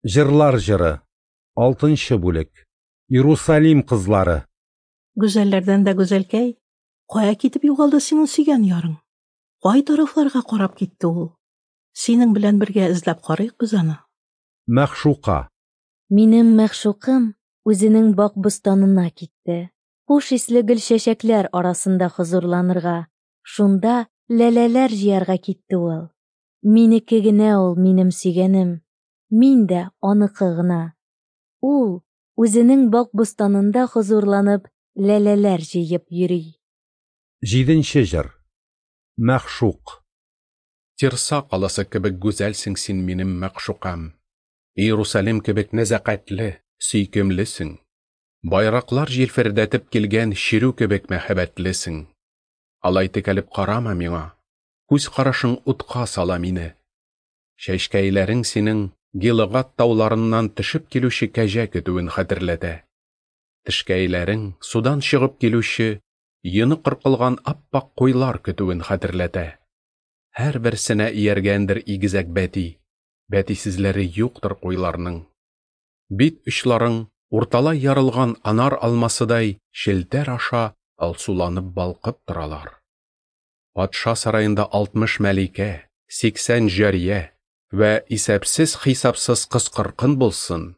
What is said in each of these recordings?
Җырлар җыры. Алтынчы бүлек. Иерусалим кызлары. Гүзәлләрдән дә гүзәлкәй, кая китеп югалды синең сөйгән ярың? Кай тарафларга карап китте ул? Синең белән бергә эзләп карыйк без аны. Мәгъшука. Минем мәгъшукым үзенең бак-бостанына китте, хуш исле гөл-чәчәкләр арасында хозурланырга, шунда ләләләр җыярга китте ул. Минеке генә ул минем сөйгәнем, мин дә аныкы гына. Ул, үзенең бак-бостанында хозурланып, ләләләр җыеп йөри. Җиденче җыр. Мәгъшук. Тирса каласы кебек гүзәлсең син минем мәгъшукам. Иерусалим кебек нәзакәтле, сөйкемлесең. Байраклар җилфердәтеп килгән чирү кебек мәһабәтлесең. Алай текәлеп карама миңа, күз карашың утка сала мине. Чәчкәйләрең синең Гилыгад тауларыннан төшеп килүче кәҗә көтүен хәтерләтә. Тешкәйләрең судан чыгып килүче, йоны кыркылган ап-ак куйлар көтүен хәтерләтә. Һәрберсенә ияргәндер игезәк бәти, бәтисезләре юктыр куйларның. Бит очларың урталай ярылган анар алмасыдай челтәр аша алсуланып балкып торалар. Патша сараенда 60 мәликә, 80 җария вә исәпсез-хисапсыз кыз-кыркын булсын,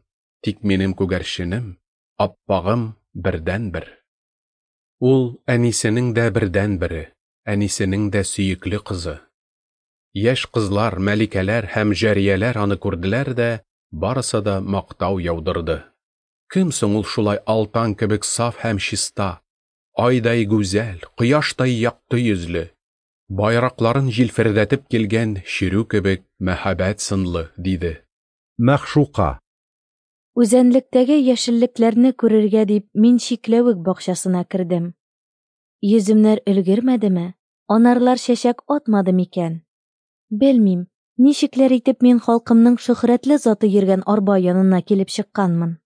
тик минем күгәрченем, аппагым бердәнбер. Ул әнисенең дә бердәнбере, әнисенең дә сөекле кызы. Яшь кызлар, мәликәләр һәм җарияләр аны күрделәр дә, барысы да мактау яудырды. Кем соң ул шулай алтан кебек саф һәм чиста, айдай гүзәл, кояштай якты йөзле, байракларын җилфердәтеп килгән чирү кебек мәһабәт сынлы, диде. Мәгъшука. Үзәнлектәге яшеллекләрне күрергә дип мин чикләвек бакчасына кердем. Йөземнәр өлгермәдеме, анарлар чәчәк атмады микән? Белмим, ничекләр итеп мин халкымның шөһрәтле заты йөргән арба янына килеп чыкканмын.